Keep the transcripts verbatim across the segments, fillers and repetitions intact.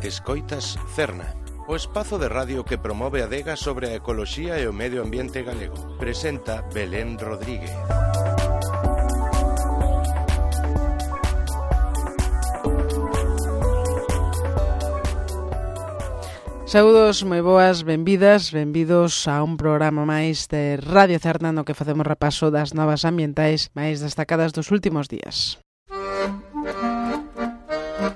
Escoitas Cerna, o espazo de radio que promove a adega sobre a ecoloxía e o medio ambiente galego. Presenta Belén Rodríguez. Saúdos, moi boas, benvidas, benvidos a un programa máis de Radio Cerna no que facemos repaso das novas ambientais máis destacadas dos últimos días.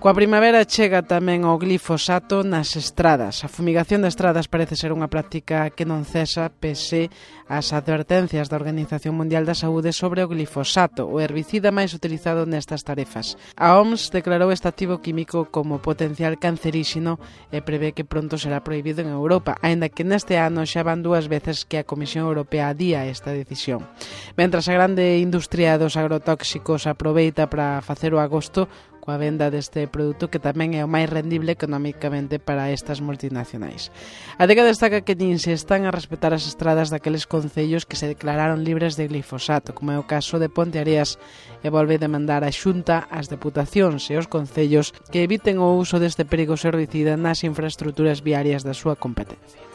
Coa primavera chega tamén o glifosato nas estradas. A fumigación de estradas parece ser unha práctica que non cesa pese ás advertencias da Organización Mundial da Saúde sobre o glifosato, o herbicida máis utilizado nestas tarefas. A O M S declarou este activo químico como potencial canceríxeno e prevé que pronto será prohibido en Europa, aínda que neste ano xa van dúas veces que a Comisión Europea adía esta decisión. Mentras a grande industria dos agrotóxicos aproveita para facer o agosto coa venda deste produto que tamén é o máis rendible económicamente para estas multinacionais. A adega destaca que nin se están a respetar as estradas daqueles concellos que se declararon libres de glifosato, como é o caso de Ponteareas, e volve demandar a Xunta, as deputacións e os concellos que eviten o uso deste perigoso herbicida nas infraestruturas viarias da súa competencia.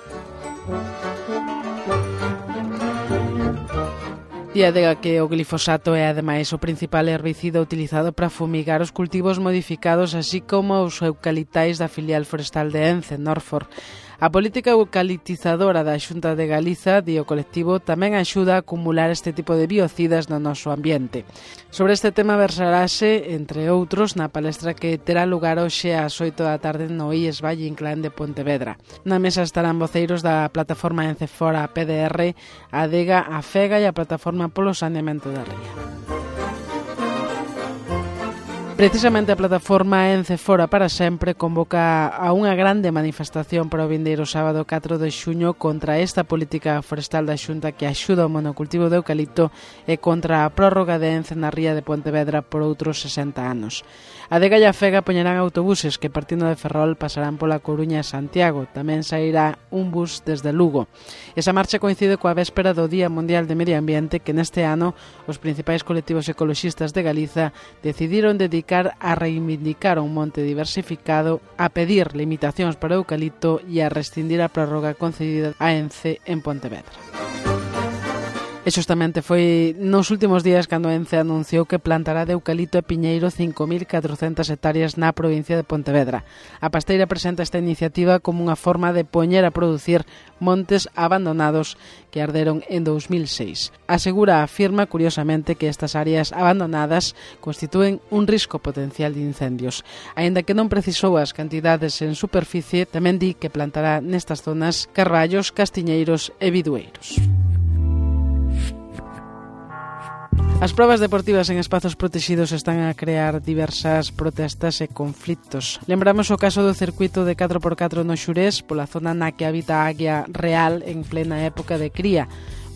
E adega que o glifosato é ademais o principal herbicida utilizado para fumigar os cultivos modificados, así como os eucaliptais da filial forestal de Ence, Norfor. A política eucaliptizadora da Xunta de Galiza, di o colectivo, tamén axuda a acumular este tipo de biocidas no noso ambiente. Sobre este tema versarase, entre outros, na palestra que terá lugar hoxe ás oito da tarde no I E S Valle Inclán de Pontevedra. Na mesa estarán voceiros da plataforma Encefora P D R, a adega, a FEGA e a plataforma polo saneamento da ría. Precisamente a plataforma Encefora para Sempre convoca a unha grande manifestación para o vindeiro sábado catro de xuño contra esta política forestal da Xunta que axuda ao monocultivo de eucalipto e contra a prórroga de Ence na ría de Pontevedra por outros sesenta anos. A adega e a FEGA poñerán autobuses que partindo de Ferrol pasarán pola Coruña e Santiago. Tamén sairá un bus desde Lugo. Esa marcha coincide coa véspera do Día Mundial de Medio Ambiente que neste ano os principais colectivos ecoloxistas de Galiza decidiron dedicar a reivindicar un monte diversificado, a pedir limitacións para o eucalipto e a rescindir a prórroga concedida a Ence en Pontevedra. E xustamente foi nos últimos días cando Ence anunciou que plantará de eucalipto e piñeiro cinco mil catrocentas hectáreas na provincia de Pontevedra. A pasteira presenta esta iniciativa como unha forma de poñer a producir montes abandonados que arderon en dous mil seis. Asegura, afirma curiosamente que estas áreas abandonadas constitúen un risco potencial de incendios. Aínda que non precisou as cantidades en superficie, tamén di que plantará nestas zonas carballos, castiñeiros e bidueiros. As probas deportivas en espazos protegidos están a crear diversas protestas e conflitos. Lembramos o caso do circuito de catro por catro no Xurés, pola zona na que habita a águia real en plena época de cría.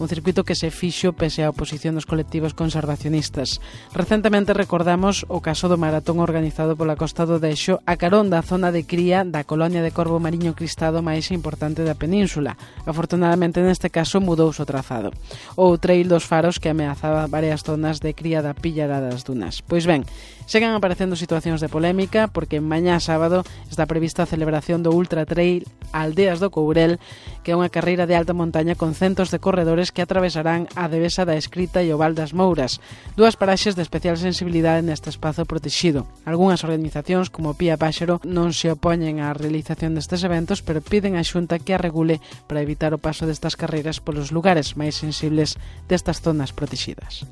Un circuito que se fixo pese á oposición dos colectivos conservacionistas. Recentemente recordamos o caso do maratón organizado pola Costa do Dexo a carón da zona de cría da colonia de corvo mariño cristado máis importante da península. Afortunadamente neste caso mudouse o trazado. O trail dos faros que ameazaba varias zonas de cría da pillara das dunas. Pois ben, segan aparecendo situacións de polémica porque mañá sábado está prevista a celebración do Ultra Trail Aldeas do Courel, que é unha carreira de alta montaña con centos de corredores que atravesarán a Devesa da Escrita e o Val das Mouras, dúas paraxes de especial sensibilidade neste espazo protegido. Algúnas organizacións, como Pía Páxaro, non se opoñen á realización destes eventos, pero piden á Xunta que a regule para evitar o paso destas carreiras polos lugares máis sensibles destas zonas protegidas.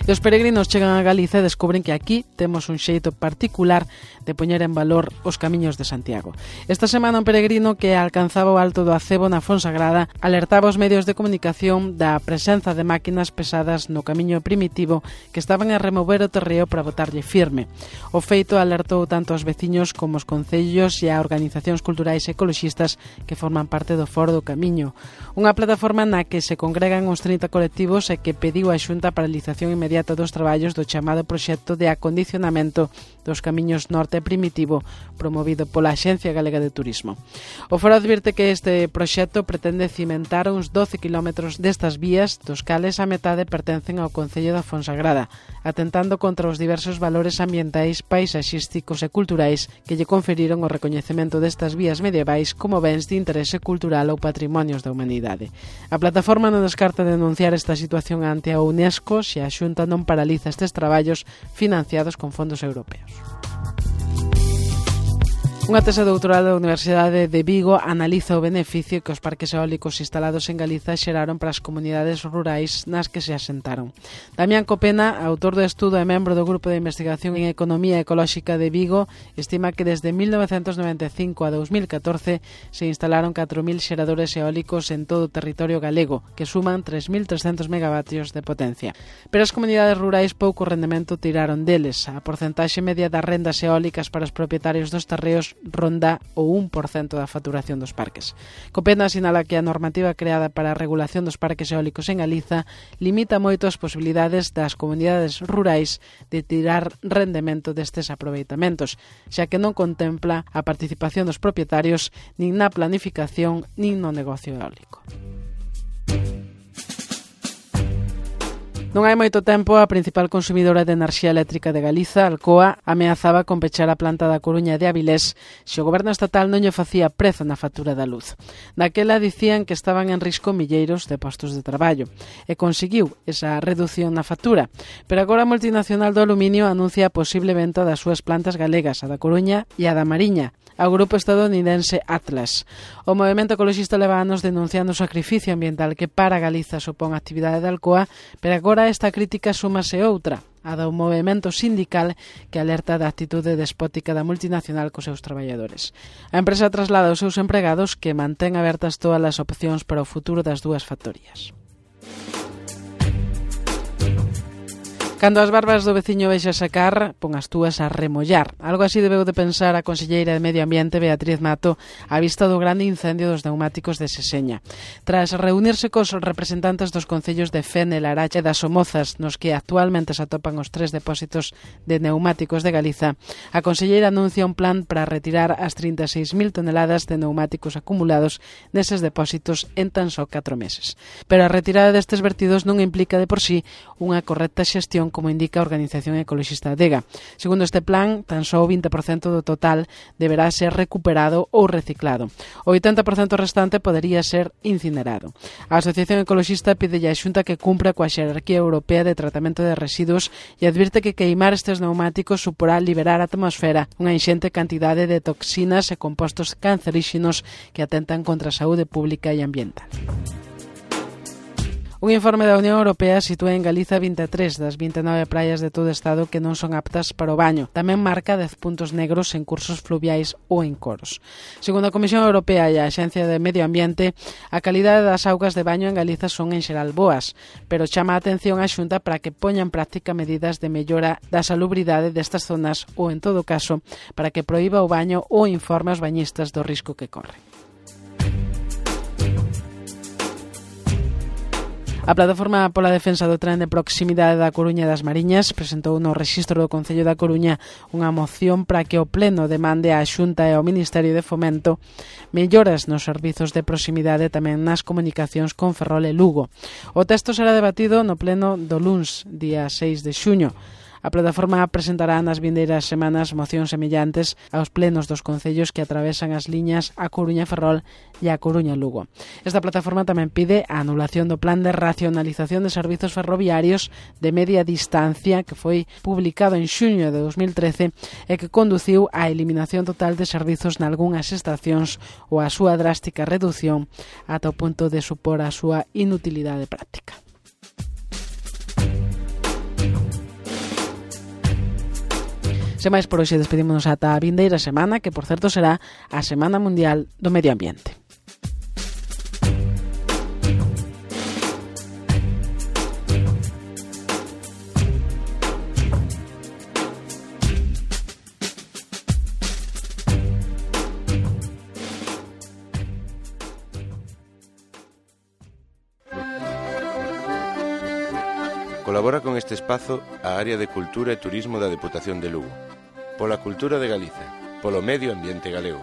E os peregrinos chegan a Galiza e descubren que aquí temos un xeito particular de poñer en valor os camiños de Santiago. Esta semana un peregrino que alcanzaba o Alto do Acebo na Fonsagrada alertaba os medios de comunicación da presenza de máquinas pesadas no camiño primitivo que estaban a remover o terreo para botarlle firme. O feito alertou tanto aos veciños como os concellos e a organizacións culturais e ecoloxistas que forman parte do Foro do Camiño. Unha plataforma na que se congregan uns trinta colectivos e que pediu a Xunta a paralización inmediata dos traballos do chamado proxecto de acondicionamento dos camiños norte primitivo promovido pola Axencia Galega de Turismo. O foro advirte que este proxecto pretende cimentar uns doce kilómetros destas vías, dos cales a metade pertencen ao Concello da Fonsagrada. atentando contra os diversos valores ambientais, paisaxísticos e culturais que lle conferiron o recoñecemento destas vías medievais como bens de interese cultural ou patrimonios da humanidade. A plataforma non descarta denunciar esta situación ante a UNESCO se a Xunta non paraliza estes traballos financiados con fondos europeos. Unha tese doutoral da Universidade de Vigo analiza o beneficio que os parques eólicos instalados en Galiza xeraron para as comunidades rurais nas que se asentaron. Damián Copena, autor do estudo e membro do Grupo de Investigación en Economía Ecolóxica de Vigo, estima que desde mil novecentos noventa e cinco a dos mil catorce se instalaron catro mil xeradores eólicos en todo o territorio galego, que suman tres mil trescentos megavatios de potencia. Pero as comunidades rurais pouco rendemento tiraron deles. A porcentaxe media das rendas eólicas para os propietarios dos terreos ronda o un por cento da facturación dos parques. Copena sinala que a normativa creada para a regulación dos parques eólicos en Galiza limita moito as posibilidades das comunidades rurais de tirar rendemento destes aproveitamentos, xa que non contempla a participación dos propietarios nin na planificación nin no negocio eólico. Non hai moito tempo, a principal consumidora de enerxía eléctrica de Galiza, Alcoa, ameazaba con pechar a planta da Coruña de Avilés se o goberno estatal non lle facía prezo na factura da luz. Daquela dicían que estaban en risco milleiros de postos de traballo e conseguiu esa reducción na factura, pero agora a multinacional do aluminio anuncia a posible venta das súas plantas galegas, a da Coruña e a da Mariña, ao grupo estadounidense Atlas. O movemento ecologista leva anos denunciando o sacrificio ambiental que para Galiza supón a actividade de Alcoa, pero agora esta crítica súmase outra, a do movemento sindical que alerta da actitude despótica da multinacional cos seus traballadores. A empresa traslada aos seus empregados que mantén abertas todas as opcións para o futuro das dúas factorías. Cando as barbas do veciño vexa sacar, pon as túas a remollar. Algo así debeu de pensar a conselleira de Medio Ambiente, Beatriz Mato, á vista do grande incendio dos neumáticos de Seseña. Tras reunirse cos representantes dos concellos de Fene, Laracha e das Somozas, nos que actualmente se atopan os tres depósitos de neumáticos de Galiza, a conselleira anuncia un plan para retirar as trinta e seis mil toneladas de neumáticos acumulados neses depósitos en tan só catro meses. Pero a retirada destes vertidos non implica de por sí unha correcta xestión, como indica a Organización Ecologista Adega. Segundo este plan, tan só o vinte por cento do total deberá ser recuperado ou reciclado. O oitenta por cento restante podería ser incinerado. A Asociación Ecologista pide a Xunta que cumpra coa xerarquía europea de tratamento de residuos e advirte que queimar estes neumáticos suporá liberar á atmosfera unha inxente cantidade de toxinas e compostos canceríxenos que atentan contra a saúde pública e ambiental. Un informe da Unión Europea sitúa en Galiza vinte e tres das vinte e nove praias de todo o estado que non son aptas para o baño. Tamén marca dez puntos negros en cursos fluviais ou en coros. Segundo a Comisión Europea e a Axencia de Medio Ambiente, a calidade das augas de baño en Galiza son en xeral boas, pero chama a atención a Xunta para que poña en práctica medidas de mellora da salubridade destas zonas ou, en todo caso, para que proíba o baño ou informe aos bañistas do risco que corren. A Plataforma pola Defensa do Tren de Proximidade da Coruña e das Mariñas presentou no rexistro do Concello da Coruña unha moción para que o Pleno demande á Xunta e ao Ministerio de Fomento melloras nos servizos de proximidade tamén nas comunicacións con Ferrol e Lugo. O texto será debatido no Pleno do luns, día seis de xuño. A plataforma presentará nas vindeiras semanas mocións semillantes aos plenos dos concellos que atravesan as liñas A Coruña-Ferrol e A Coruña-Lugo. Esta plataforma tamén pide a anulación do plan de racionalización de servizos ferroviarios de media distancia que foi publicado en xuño de dos mil trece e que conduciu á eliminación total de servizos nalgúnas estacións ou a súa drástica reducción ata o punto de supor a súa inutilidade práctica. Sen máis por hoxe, despedímonos ata a vindeira semana, que por certo será a Semana Mundial do Medio Ambiente. Colabora con este espazo a Área de Cultura e Turismo da Deputación de Lugo. Pola cultura de Galiza, polo medio ambiente galego.